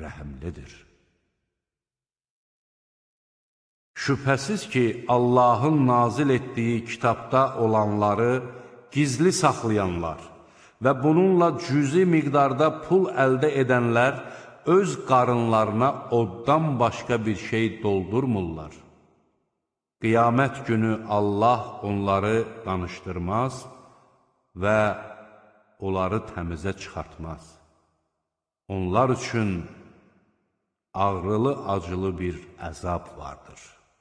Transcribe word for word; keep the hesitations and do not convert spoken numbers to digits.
rəhimlidir. Şübhəsiz ki, Allahın nazil etdiyi kitabda olanları gizli saxlayanlar və bununla cüzi miqdarda pul əldə edənlər öz qarınlarına oddan başqa bir şey doldurmurlar. Qiyamət günü Allah onları danışdırmaz və onları təmizə çıxartmaz. Onlar üçün ağrılı-acılı bir əzab vardır.